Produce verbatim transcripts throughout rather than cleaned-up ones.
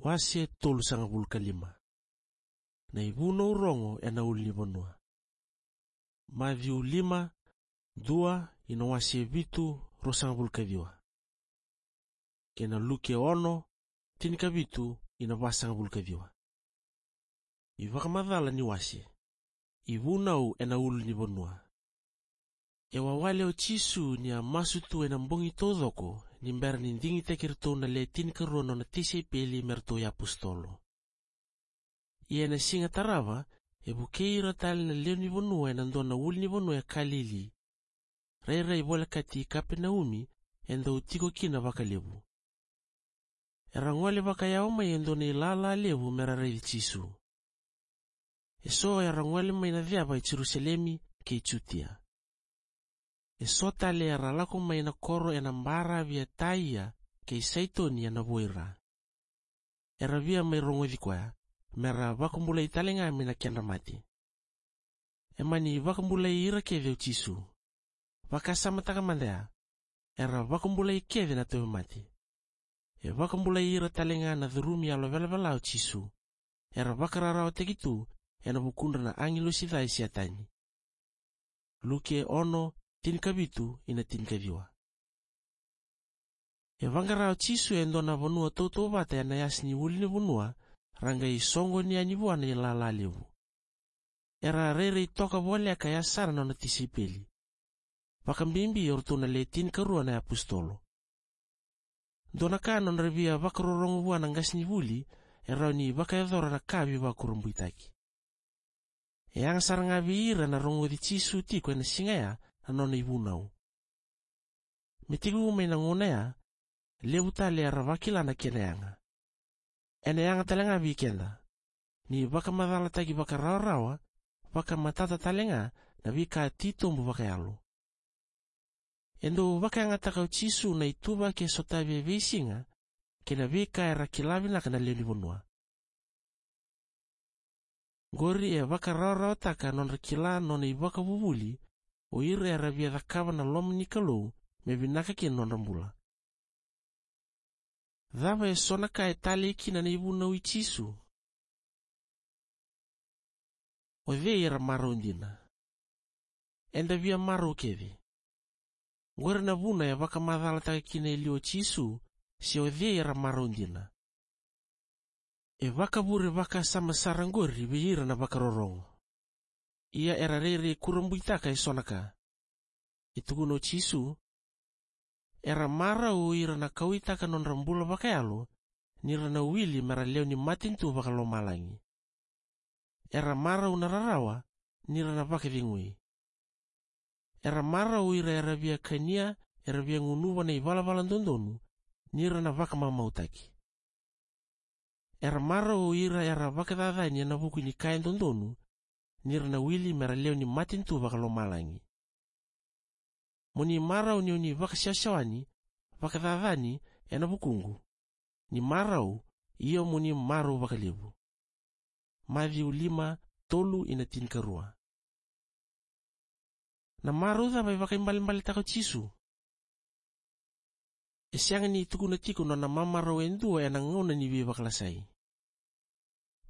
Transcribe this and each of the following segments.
Wase tolusagavulu ka lima. Na ivunau rogo ena ulunivanua. Maciu lima, dua ina wase vitu, ruasagavulu ka ciwa. Kei na Luke ono, tinikavitu ina vasagavulu ka ciwa. Ivakamacala ni wase. Ivunau ena ulunivanua. E wawale o Jisu ni a masu tu ena bogi taucoko, ni bera ni digitaki iratou na le tinikarua na nona tisaipeli me ratou iapositolo. Ia ena siga tarava, e vukei ira tale na lewe ni vanua ena dua na ulunivanua e Kalili, rairai volekati Kapenaumi, e dau tiko kina vakalevu. Era gole vakayawa mai e dua na ilala levu me ra raici Jisu. E so era gole mai na ceva e Jerusalemi kei Jutia. E so tale era lako mai na koro ena baravi e Taia kei Saitoni ena vuaira. Era via mai rogoci koya, me ra vakabulai tale ga mai na kedra mate. E mani vakabulai ira kece o Jisu. Vakasamataka mada ya, era vakabulai kece na tauvimate. E vakabulai ira tale ga na curumi yalo velavela o Jisu. Era vakararawataki tu ena vukudra na agilosi ca i Setani. Luke ono, tinikavitu ina tinikaciwa. E vaqara o Jisu e dua na vanua tautauvata ena yasa ni ulunivanua, ra qai soqoni yani vua na ilala levu. Era rairai toka voleka e yasana na nona tisaipeli, vakabibi o ratou na le tinikarua na iapositolo. Dua na ka nodra via vakarorogo vua na qasenivuli, e rawa ni vakayacora na ka veivakurabuitaki. E yaga sara ga vei ira na rogoci Jisu tiko ena siga ya na nona ivunau. Me tekivu mai na gauna ya, levu tale era vakila na kena yaga. Ena yaga tale ga vei keda, ni vakamacalataki vakarawarawa, vakamatata tale ga na veika titobu vakayalo. E dau vakayagataka o Jisu na ituvaki e sotavi e veisiga, kei na veika era kila vinaka na lewe ni vanua. Qori e vakarawarawataka nodra kila nona ivakavuvuli, o ira era via cakava na loma ni Kalou, me vinaka kina nodra bula. Cava e so na ka e talei kina na ivunau i Jisu? O cei era marau dina? Eda via marau kece. Qori na vuna e vakamacalataka kina e liu o Jisu, se o cei era marau dina. E vakavure vakasama sara qori vei ira na vakarorogo. Ia era rairai kurabuitaka e so na ka. E tukuna o Jisu, era marau o ira na kauaitaka nodra bula vakayalo, ni ra na wili me ra lewe ni matanitu vakalomalagi. Era marau na rarawa, ni ra na vakacegui. Era marau ira era via kania, era via gunuva na ivalavala dodonu, ni ra na vakamamautaki. Era marau ira era vakacacani ena vuku ni ka e dodonu, ni ra na wili me ra lewe ni matanitu vakalomalagi. Mo ni marau ni o ni vakasewasewani, vakacacani ena vukuqu. Ni marau, io mo ni marau vakalevu. Maciu lima, tolu ina tinikarua. Na marau cava e vakaibalebaletaka o Jisu? E sega ni tukuna tiko nona mamarau e dua ena gauna ni veivakalasai.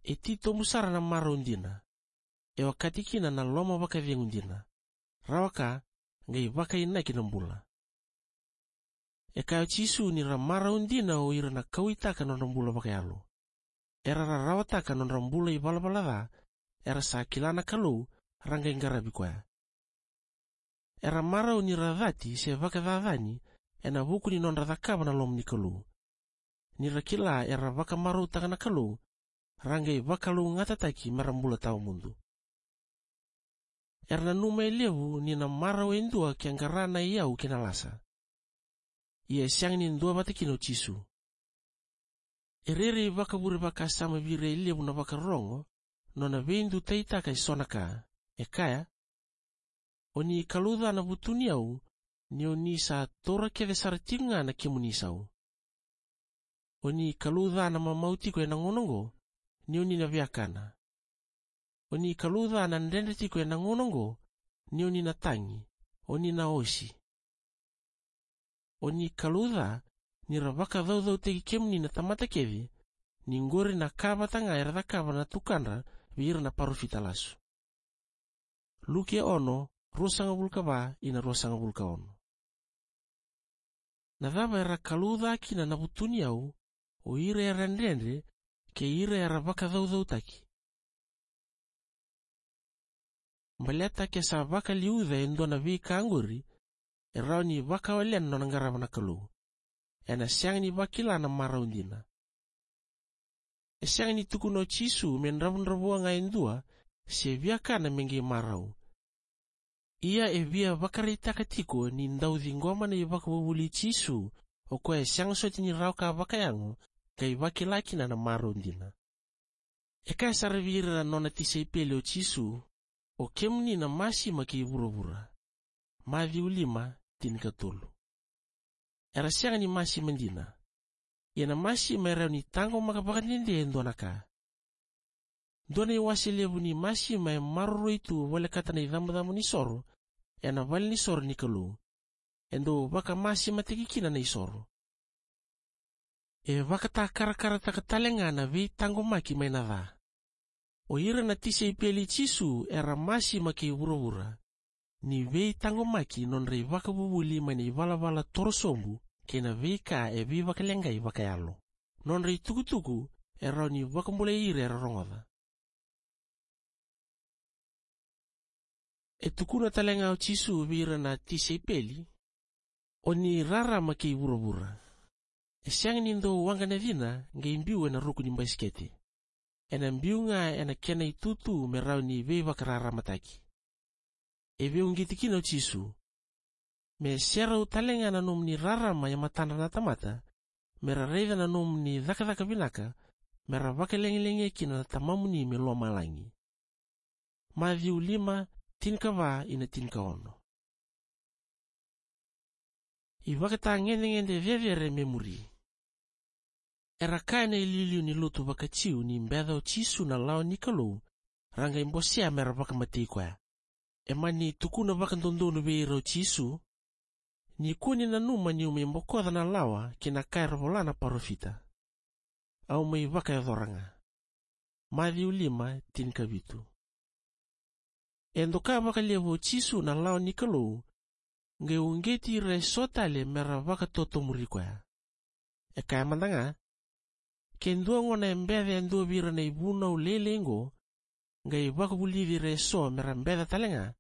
E titobu sara na marau dina. E okati kina na loma vakacegu dina. Rawa ka, qai vakainaki na bula. E kaya o Jisu ni ra marau dina o ira na kauaitaka nodra bula vakayalo. Era rarawataka nodra bula ivalavala ca, era sa kila na Kalou, ra qai qaravi koya. Era marau ni ra cati se vakacacani, ena vuku ni nodra cakava na loma ni Kalou. Ni ra kila era vakamarautaka na Kalou, ra qai vakalougatataki me ra bula tawamudu. Era nanuma e levu ni na marau e dua ke qara na iyau kei na lasa. Ia e sega ni duavata kina o Jisu. E rairai vakavure vakasama vei ira e levu na vakarorogo, nona veidutaitaka e so na ka, e kaya, o ni kalouca na vutuniyau, ni o ni sa taura kece sara tiko ga na kemuni isau. O ni kalouca na mamau tiko ena gauna oqo, ni o ni na viakana. O ni kalouca na dredre tiko ena gauna oqo, ni o ni na tagi, o ni na osi. O ni kalouca, ni ra vakacaucautaki kemuni na tamata kece, ni qori na ka vata ga era cakava na tukadra vei ira na parofita lasu. Luke ono, ruasagavulu ka va ina ruasagavulu ka ono. Na cava era kalouca kina na vutuniyau o ira era dredre kei ira era vakacaucautaki? Baleta ke sa vakaliuca e dua na veika qori, e rawa ni vakawalena na nona qarava na Kalou. Ena sega ni vakila na marau dina. E sega ni tukuna o Jisu me dravudravua ga e dua se viakana me qai marau. Ia e via vakaraitaka tiko ni dau ciqoma na ivakavuvuli i Jisu, o koya e sega soti ni rawa ka vakayago, qai vakila kina na marau dina. E kaya sara vei ira na nona tisaipeli o Jisu, "O kemuni na masima kei vuravura." Maciu lima, tinikatolu. Era sega ni masima dina. Ia na masima e rawa ni taqomaka vakadede e dua na ka. Dua na iwase levu ni masima e maroroi tu volekata na icabocabo ni soro ena valenisoro ni Kalou. E dau vakamasimataki kina na isoro. E vakatakarakarataka tale ga na veitaqomaki mai na ca. O ira na tisaipeli i Jisu era masima kei vuravura ni veitaqomaki nodra ivakavuvuli mai na ivalavala torosobu kei na veika e veivakaleqai vakayalo. Nodra itukutuku e rawa ni vakabulai ira era rogoca. E tukuna tale ga o Jisu vei ira na tisaipeli, "O ni rarama kei vuravura." E sega ni dau waqa na cina qai biu ena ruku ni basikete. Ena biu ga ena kena itutu me rawa ni veivakararamataki. E veiuqeti kina o Jisu, "Me serau tale ga na nomuni rarama e matadra na tamata, me ra raica na nomuni cakacaka vinaka, me ra vakalegilegia kina na Tamamuni mai lomalagi." Maciu lima, tinikava ina tinikaono. Ivakatagedegede cecere me muri. Era kaya na iliuliu ni lotu vakaJiu ni beca o Jisu na lawa ni Kalou, ra qai bosea me ra vakamatei koya. E mani tukuna vakadodonu vei ira o Jisu, "Ni kua ni nanuma niu mai bokoca na lawa kei na ka era vola na parofita. Au mai vakayacora ga." Maciu lima, tinikavitu. E doka vakalevu o Jisu na lawa ni Kalou, qai uqeti ira eso tale me ra vakatotomuri koya. E kaya mada ga, "Ke dua gona e beca e dua vei ira na ivunau lailai oqo, qai vakavulici ira eso me ra beca tale ga,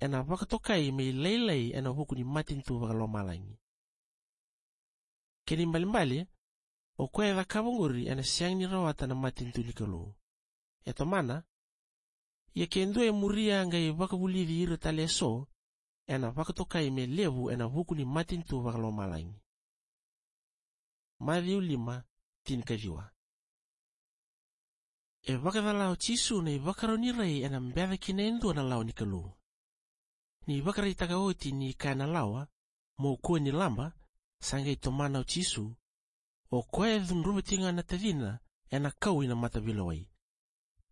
ena vakatokai me lailai ena vuku ni matanitu vakalomalagi." Kena ibalebale, o koya e cakava oqori ena sega ni rawata na matanitu ni Kalou. E tomana, "Ia ke dua e muria qai vakavulici ira tale eso, ena vakatokai me levu ena vuku ni matanitu vakalomalagi." Maciu lima, tinikaciwa. E vakacala o Jisu na ivakarau ni rai ena beca kina e dua na lawa ni Kalou. Ni vakaraitaka oti ni kaya na lawa, "Mo kua ni laba," sa qai tomana o Jisu, "O koya e cudruva tiko ga na tacina ena kau ina mataveilewai."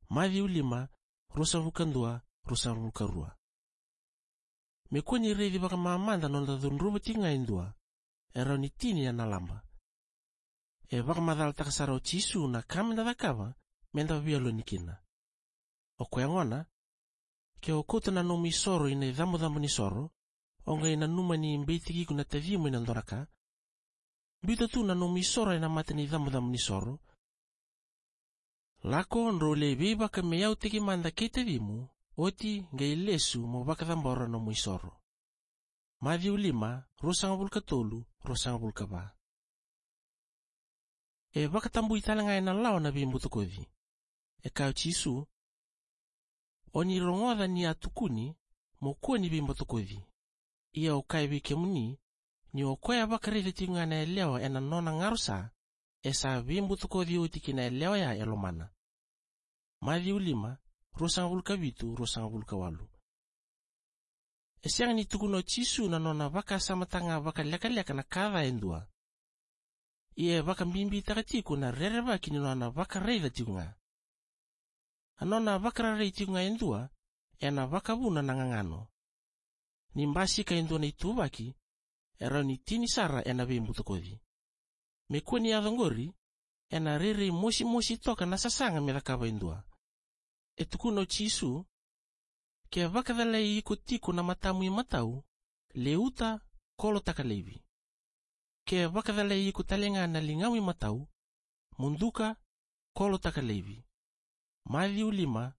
Maciu lima, ruasagavulu ka dua, ruasagavulu ka rua. Me kua ni raici vakamamada noda cudruva tiko ga e dua, e rawa ni tini ena laba. E vakamacalataka sara o Jisu na ka meda cakava meda veiyaloni kina. O koya gona, ke o kauta na nomu isoro ina icabocabo ni soro, o qai nanuma ni beitaki iko na tacimu ena dua na ka, biuta tu na nomu isoro ena mata ni icabocabo ni soro, lako drau lai veivakameyautaki mada kei tacimu, oti qai lesu mo vakacabora nomu isoro. Maciu lima, ruasagavulu ka tolu, ruasagavulu ka va. E vakatabui tale ga ena lawa na veibutakoci. E kaya o Jisu, "O ni rogoca ni a tukuni, mo kua ni veibutakoci. Ia au kaya vei kemuni, ni o koya vakaraica tiko ga na yalewa ena nona garosa, e sa veibutakoci oti kei na yalewa ya e lomana." Maciu lima, ruasagavulu ka vitu, ruasagavulu ka walu. E sega ni tukuna o Jisu na nona vakasamataka ga vakalekaleka na ka ca e dua. Ia e vakabibitaka tiko na rerevaki ni nona vakaraica tiko ga. A nona vakararai tiko ga e dua, ena vakavuna na gagano. Ni basika e dua na ituvaki, e rawa ni tini sara ena veibutakoci. Me kua ni yaco oqori, ena rairai mosimosi toka na sasaga me cakava e dua. E tukuna o Jisu, ke vakacalai iko tiko na matamu imatau, leuta, kolotaka laivi. Ke vakacalai iko tale ga na ligamu imatau, muduka, kolotaka laivi. Maciu lima,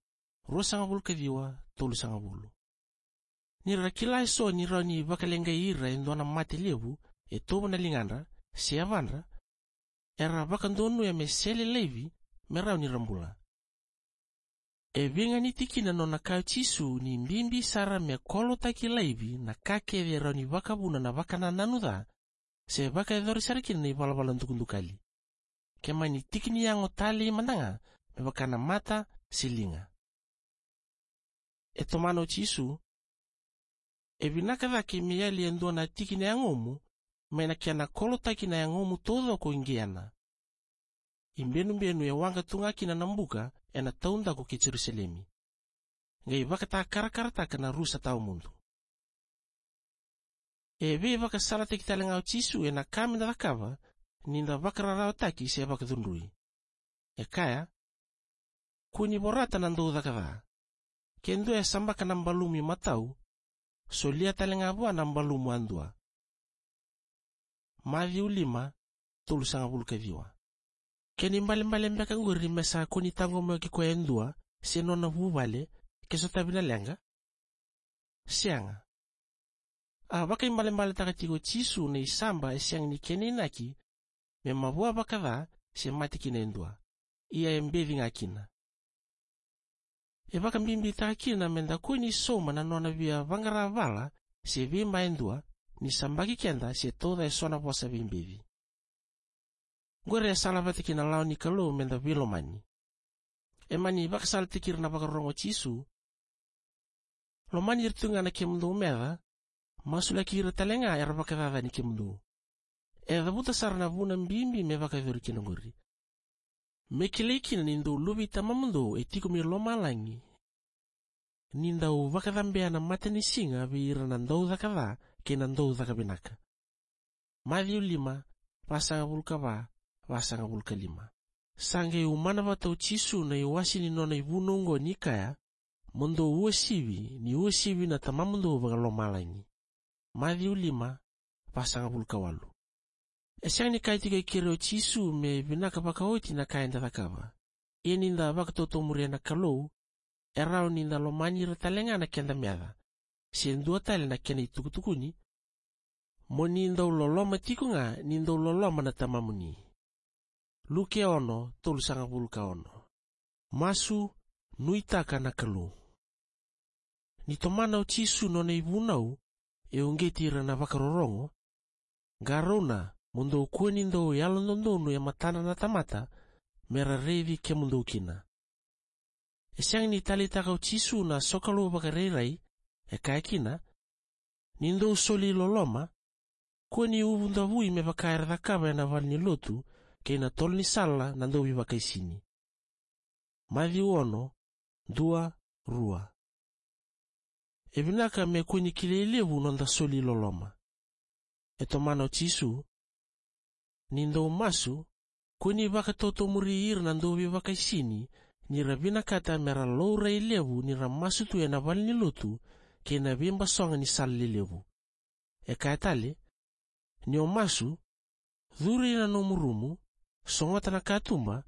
ruasagavulu ka ciwa, tolusagavulu. Ni ra kila eso ni rawa ni vakaleqai ira e dua na mate levu e tovo na ligadra se yavadra, era vakadonuya me sele laivi me rawa ni ra bula. E veiganiti kina nona kaya o Jisu ni bibi sara me kolotaki laivi na ka kece e rawa ni vakavuna na vakanananu ca, se vakayacori sara kina na ivalavala dukadukali. Ke mani tiki ni yago talei mada ga me vaka na mata se liga. E tomana o Jisu, e vinaka cake me yali e dua na tiki na yagomu mai na kena kolotaki na yagomu taucoko i Geena. I benubenu e waqa tu ga kina na buka ena taudaku kei Jerusalemi, qai vakatakarakarataka na rusa tawa mudu. E veivakasalataki tale ga o Jisu ena ka meda cakava ni da vakararawataki se vakacudrui. E kaya, kua ni vorata na daucaka ca. Ke dua e sabaka na balumu imatau, solia tale ga vua na balumu yadua. Maciu lima, tolusagavulu ka ciwa. Kena ibalebale beka qori me sa kua ni taqomaki koya e dua se nona vuvale ke sotavi na leqa? Sega. A vakaibalebaletaka tiko o Jisu na isaba e sega ni kena inaki me mavoa vakaca se mate kina e dua, ia e beci ga kina. E vakabibitaka kina meda kua ni sauma na nona via vaqara vala se veiba e dua ni sabaki keda se tauca eso na vosa veibeci. Qori e sala vata kei na lawa ni Kalou meda veilomani. E mani vakasalataki ira na vakarorogo o Jisu, lomani ira tu ga na kemudou meca, masulaki ira tale ga era vakacacani kemudou. E cavuta sara na vuna bibi me vakayacori kina qori. Me kilai kina ni dou luve i Tamamudou e tiko mai lomalagi, ni dau vakacabea na matanisiga vei ira na daucaka ca kei na daucaka vinaka. Maciu lima, vasagavulu ka va, vasagavulu ka lima. Sa qai umana vata o Jisu na iwase ni nona ivunau oqo ni kaya, mo dou uasivi ni uasivi na Tamamudou vakalomalagi. Maciu lima, vasagavulu ka walu. E sega ni kaya tiko e keri o Jisu me vinaka vakaoti na ka eda cakava. Ia ni da vakatotomuria na Kalou, e rawa ni da lomani ira tale ga na keda meca, se dua tale na kena itukutukuni, mo ni dau loloma tiko ga ni dau loloma na Tamamuni. Luke ono, tolusagavulu ka ono. Masu, nuitaka na Kalou. Ni tomana o Jisu nona ivunau, e uqeti ira na vakarorogo, qarauna mo dou kua ni dau yalododonu e matadra na tamata me ra raici kemudou kina. E sega ni taleitaka o Jisu na sokalou vakarairai, e kaya kina, ni dou soli loloma, kua ni uvu davui me vaka era cakava ena valenilotu kei na tolonisala na dauveivakaisini. Maciu ono, dua, rua. E vinaka me kua ni kilai levu noda soli loloma. E tomana o Jisu, ni dou masu, kua ni vakatotomuri ira na dauveivakaisini ni ra vinakata me ra laurai levu ni ra masu tu ena valenilotu kei na veibasoga ni sala lelevu. E kaya tale, ni o masu, curu ina nomu rumu, sogota na katuba,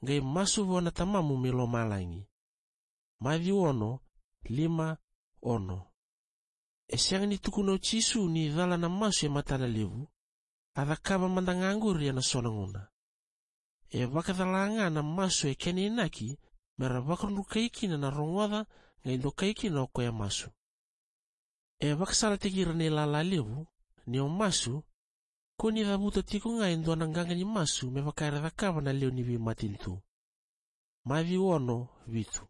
qai masu vua na Tamamu mai lomalagi. Maciu ono, lima, ono. E sega ni tukuna o Jisu ni cala na masu e matana levu, a cakava mada ga qori ena so na gauna. E vakacala ga na masu e kena inaki me ra vakadrukai kina na rogoca qai dokai kina o koya e masu. E vakasalataki ira na ilala levu, ni o masu, kua ni cavuta tiko ga e dua na qaqa ni masu me vaka era cakava na lewe ni veimatanitu. Maciu ono, vitu.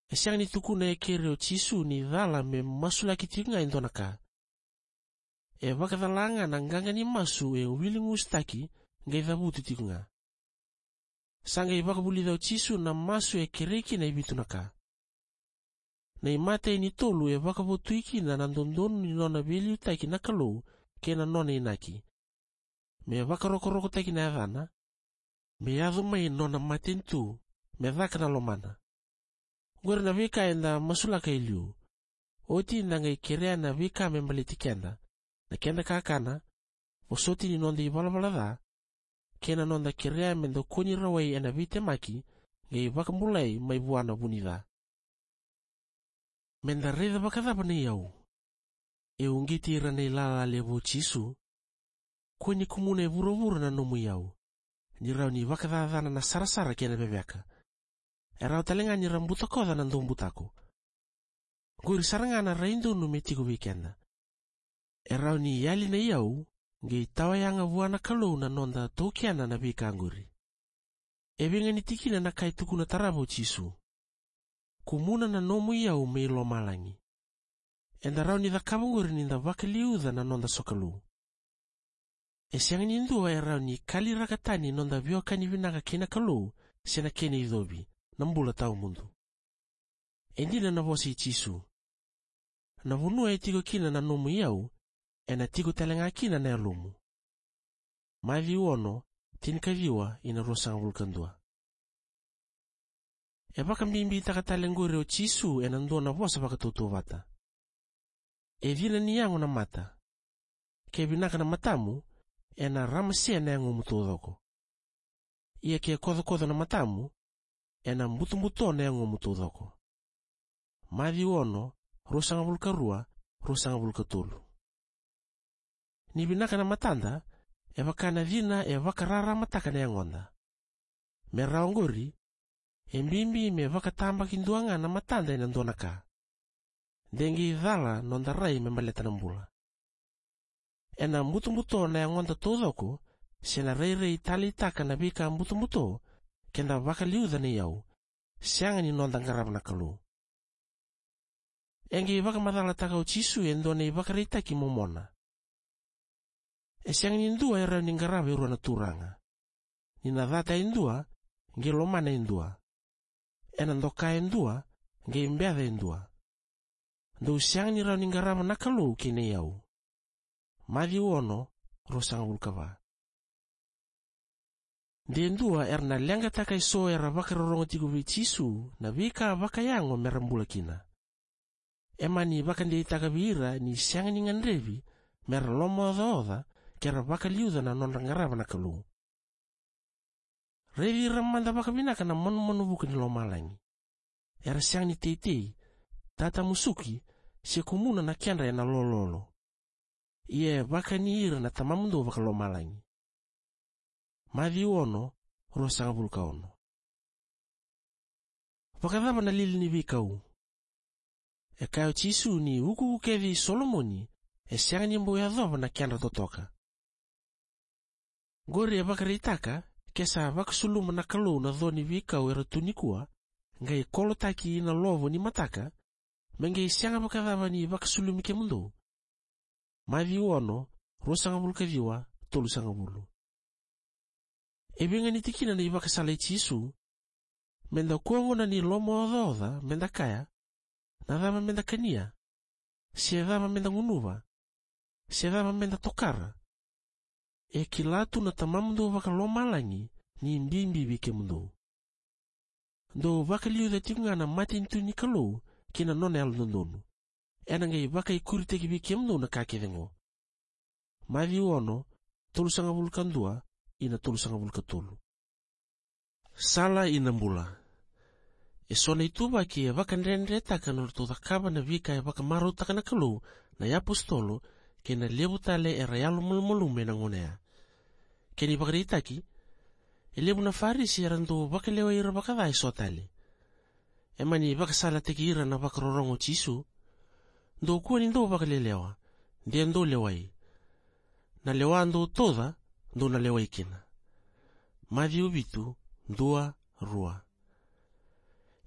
E sega ni tukuna e keri o Jisu ni cala me masulaki tiko ga e dua na ka. E vakacala ga na qaqa ni masu e wiligusutaki qai cavuti tiko ga. Sa qai vakavulica o Jisu na masu e kerei kina e vitu na ka. Na imatai ni tolu e vakavotui kina na dodonu ni nona veiliutaki na Kalou kei na nona inaki. Me vakarokorokotaki na yacana, me yaco mai nona matanitu, me caka na lomana. Oqori na veika eda masulaka e liu. Oti da qai kerea na veika me baleti keda, na keda kakana, vosoti ni noda ivalavala ca, kei na noda kerea me da kua ni rawai ena veitemaki, qai vakabulai mai vua na vu ni ca. Me da raica vakacava na iyau? E uqeti ira na ilala levu o Jisu. Kua ni kumuna e vuravura na nomu iyau, ni rawa ni vakacacana na sarasara kei na veveka. E rawa tale ga ni ra butakoca na daubutako. Qori sara ga na rai donu me tiko vei keda. E rawa ni yali na iyau, qai tawayaga vua na Kalou na noda taukena na veika qori. E veiganiti kina na ka e tukuna tarava o Jisu: Kumuna na nomu iyau mai lomalagi. Eda rawa ni cakava qori ni da vakaliuca na noda sokalou. E sega ni dua e rawa ni kaliraka tani noda veiwekani vinaka kei na Kalou, se na kena icovi, na bula tawamudu. E dina na vosa i Jisu: Na vanua e tiko kina na nomu iyau, ena tiko tale ga kina na yalomu. Maciu ono, tinikaciwa ina ruasagavulu ka dua. E vakabibitaka tale qori o Jisu ena dua na vosa vakatautauvata: E cina ni yago na mata. Ke vinaka na matamu, ena ramase na yagomu taucoko. Ia ke kocokoco na matamu, ena butobuto na yagomu taucoko. Maciu ono, ruasagavulu ka rua, ruasagavulu ka tolu. Ni vinaka na matada, e vaka na cina e vakararamataka na yagoda. Me rawa qori, e bibi me vakatabakidua ga na matada ena dua na ka. De qai cala noda rai me baleta na bula. Ena butobuto na yagoda taucoko, se na rairai taleitaka na veika butobuto, ke da vakaliuca na iyau, sega ni noda qarava na Kalou. E qai vakamacalataka o Jisu e dua na ivakaraitaki momona: E sega ni dua e rawa ni qarava e rua na turaga. Ni na cata e dua, qai lomana e dua. Ena doka e dua, qai beca e dua. Dou sega ni rawa ni qarava na Kalou kei na iyau. Maciu ono, ruasagavulu ka va. De dua era na leqataka eso era vakarorogo tiko vei Jisu na veika vakayago mera bula kina. E mani vakadeitaka vei ira ni sega ni gadrevi mera lomaocaoca ke ra vakaliuca na nodra qarava na Kalou. Raici ira mada vakavinaka na manumanu vuka ni lomalagi. Era sega ni teitei, tatamusuki, se kumuna na kedra ena lololo. Ia e vakani ira na Tamamudou vakalomalagi. Maciu ono, ruasagavulu ka ono. Vakacava na lili ni veikau? E kaya o Jisu ni ukuuku kece i Solomoni e sega ni bau yacova na kedra totoka. Qori e vakaraitaka ke sa vakasuluma na Kalou na co ni veikau era tu nikua, qai kolotaki ina lovo ni mataka, me qai sega vakacava ni vakasulumi kemudou. Maciu ono, ruasagavulu ka ciwa, tolusagavulu. E veiganiti kina na ivakasala i Jisu: Meda kua gona ni lomaocaoca meda kaya, na cava meda kania, se cava meda gunuva, se cava meda tokara. E kila tu na Tamamudou vakalomalagi ni bibi vei kemudou. Dou vakaliuca tiko ga na matanitu ni Kalou kei na nona yalododonu. Ena qai vakaikuritaki vei kemudou na ka kece qo. Maciu ono, tolusagavulu ka dua ina tolusagavulu ka tolu. Sala ina bula. Eso na ituvaki e vakadredretaka na nodratou cakava na veika e vakamarautaka na Kalou na iapositolo kei na levu tale era yalomalumalumu ena gauna ya. Kena ivakaraitaki, e levu na Farisi era dau vakalewai ira vakaca eso tale. E mani vakasalataki ira na vakarorogo o Jisu: Dou kua ni dau vakalelewa, de dou lewai. Na lewa dou tauca, dou na lewai kina. Maciu vitu, dua, rua.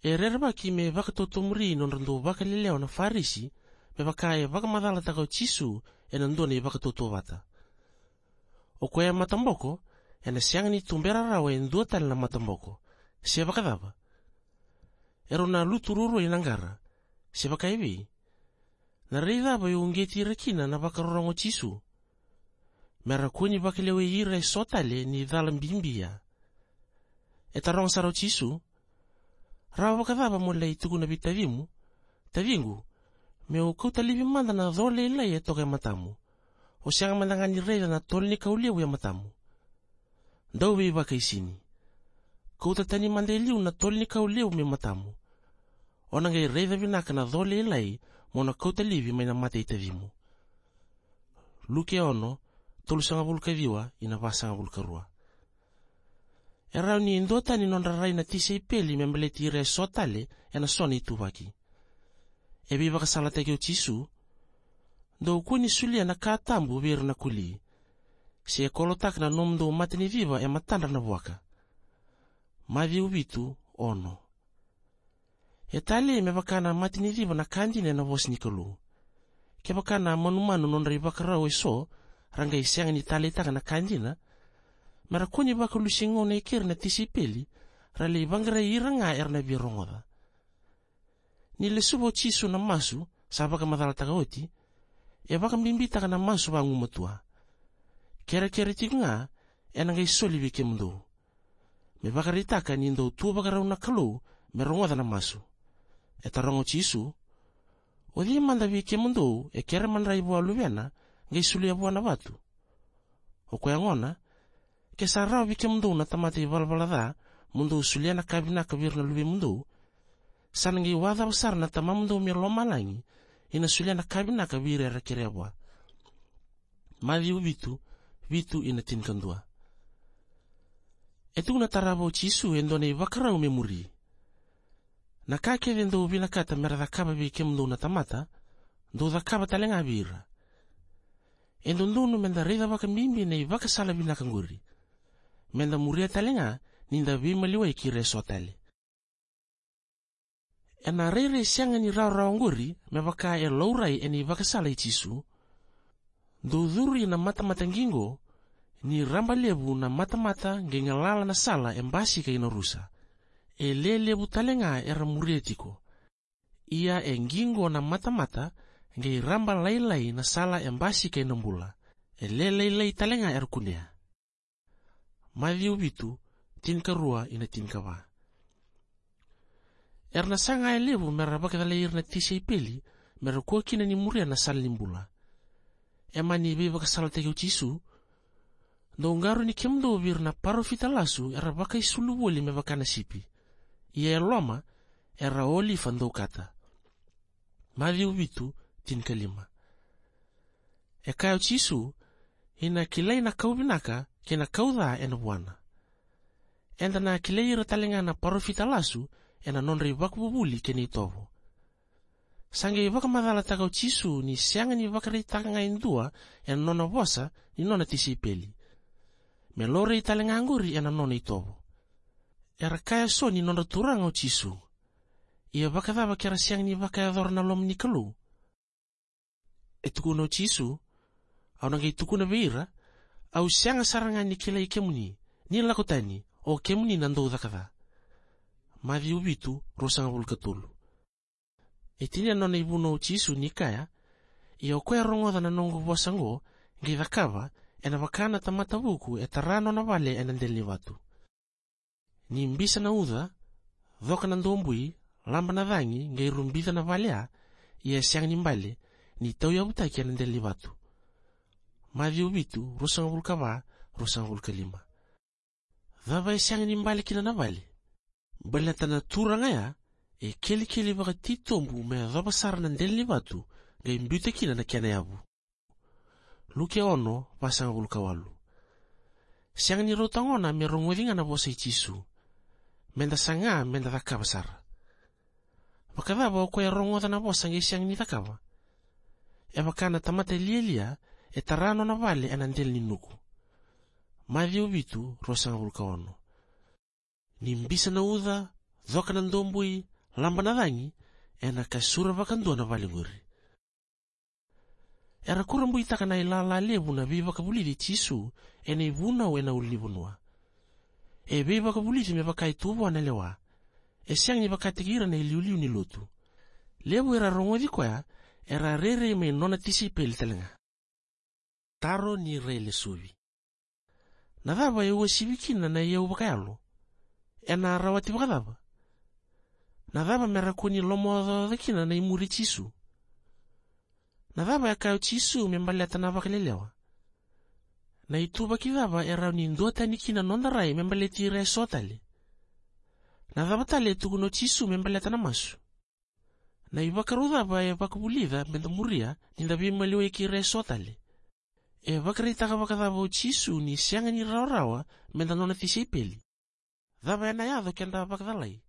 E rerevaki me vakatotomuri nodra dau vakalelewa na Farisi, me vaka e vakamacalataka o Jisu ena dua na ivakatautauvata: O koya e mataboko, ena sega ni tubera rawa e dua tale na mataboko, se vakacava? Erau na lutu ruarua ina qara, se vakaevei? Na rai cava e uqeti ira kina na vakarorogo o Jisu? Mera kua ni vakalewai ira eso tale ni cala bibi ya. E taroga sara o Jisu: "Rawa vakacava mo lai tukuna vei tacimu, 'Taciqu, meu kauta laivi mada na co lailai e toka e matamu'? O sega mada ga ni raica na tolo ni kau levu e matamu?' Dau veivakaisini. Kauta tani mada e liu na tolo ni kau levu me matamu. O na qai raica vinaka na co lailai mo na kauta laivi mai na mata i tacimu." Luke ono, tolusagavulu ka ciwa ina vasagavulu ka rua. E rawa ni duatani nodra rai na tisaipeli me baleti ira eso tale ena so na ituvaki. E veivakasalataki o Jisu: "Dou kua ni solia na ka tabu vei ira na koli, se kolotaka na nomudou mataniciva e matadra na vuaka." Maciu vitu, ono. E talei me vaka na mataniciva na ka dina ena vosa ni Kalou. Kevaka na manumanu nodra ivakarau eso ra qai sega ni taleitaka na ka dina, me ra kua ni vakalusi gauna e keri na tisaipeli, ra lai vaqarai ira ga era na via rogoca. Ni lesuva o Jisu na masu sa vakamacalataka oti, e vakabibitaka na masu vagumatua: "Kerekere tiko ga, ena qai soli vei kemudou." Me vakaraitaka ni dau tu vakarau na Kalou me rogoca na masu, e taroga o Jisu: "O cei mada vei kemudou e kere madrai vua luvena, qai solia vua na vatu?" O koya gona, ke sa rawa vei kemudou na tamata ivalavala ca mo dou solia na ka vinaka vei ira na luvemudou, sa na qai wacava sara na Tamamudou mai lomalagi ina solia na ka vinaka vei ira era kerea vua. Maciu vitu, vitu ina tinikadua. E tukuna tarava o Jisu e dua na ivakarau me muri: "Na ka kece dou vinakata me ra cakava vei kemudou na tamata, dou cakava tale ga vei ira." E dodonu me da raica vakabibi na ivakasala vinaka qori. Me da muria tale ga ni da veimaliwai kei ira eso tale. Ena rairai sega ni rawarawa qori me vaka e laurai ena ivakasala i Jisu: "Dou curu ina matamata qiqo, ni raba levu na matamata qai galala na sala e basika ina rusa. E le levu tale ga era muria tiko. Ia e qiqo na matamata, qai raba lailai na sala e basika ina bula. E le lailai tale ga era kunea." Maciu vitu, tinikarua ina tinikava. Era na saga e levu me ra vakacalai ira na tisaipeli me ra kua kina ni muria na sala ni bula. E mani veivakasalataki o Jisu: "Dou qarauni kemudou vei ira na parofita lasu era vakaisulu voli me vaka na sipi, ia e loma era olifa daukata." Maciu vitu, tinikalima. E kaya o Jisu: "Ina kilai na kau vinaka kei na kau ca ena vuana." Eda na kilai ira tale ga na parofita lasu ena nodra ivakavuvuli kei na itovo. Sa qai vakamacalataka o Jisu ni sega ni vakaraitaka ga e dua ena nona vosa ni nona tisaipeli. Me laurai tale ga qori ena nona itovo. Era kaya so ni nodra Turaga o Jisu. Ia vakacava ke ra sega ni vakayacora na loma ni Kalou? E tukuna o Jisu: "Au na qai tukuna vei ira: Au sega sara ga ni kilai kemuni, ni lako tani, o kemuni na dau caka ca." Maciu vitu, ruasagavulu ka tolu. E tinia na nona ivunau o Jisu ni kaya: "Ia o koya e rogoca na noqu vosa oqo, qai cakava, ena vaka na tamata vuku e tara nona vale ena dela ni vatu. Ni bisa na uca, coka na dobui, laba na cagi, qai rubica na vale ya, ia e sega ni bale, ni tauyavutaki ena dela ni vatu." Maciu vitu, ruasagavulu ka va, ruasagavulu ka lima. Cava e sega ni bale kina na vale? Baleta na turaga ya e kelikeli vakatitobu me yacova sara na dela ni vatu, qai biuta kina na kena yavu. Luke ono, vasagavulu ka walu. Sega ni rauta gona me rogoci ga na vosa i Jisu. Meda saga meda cakava sara. Vakacava o koya e rogoca na vosa qai sega ni cakava? E vaka na tamata lialia e tara nona vale ena dela ni nuku. Maciu vitu, ruasagavulu ka ono. Ni bisa na uca, coka na dobui, laba na cagi, ena kasura vakadua na vale qori. Era kurabuitaka na ilala levu na veivakavulici i Jisu ena ivunau ena ulunivanua. E veivakavulici me vaka e tu vua na lewa. E sega ni vakataki ira na iliuliu ni lotu. Levu era rogoci koya, era rairai mai nona tisaipeli tale ga. Taro ni railesuvi. Na cava e uasivi kina na iyau vakayalo? ena rawati vakacava? Na cava me ra kua ni lomaocaoca kina na imuri i Jisu? Na cava e kaya o Jisu me baleta na vakalelewa? Na ituvaki cava e rawa ni duatani kina noda rai me baleti ira eso tale? Na cava tale e tukuna o Jisu me baleta na masu? Na ivakarau cava e vakavulica me da muria ni da veimaliwai kei ira eso tale? E vakaraitaka vakacava o Jisu ni sega ni rawarawa me da nona tisaipeli? Cava ena yaco ke da vakacalai?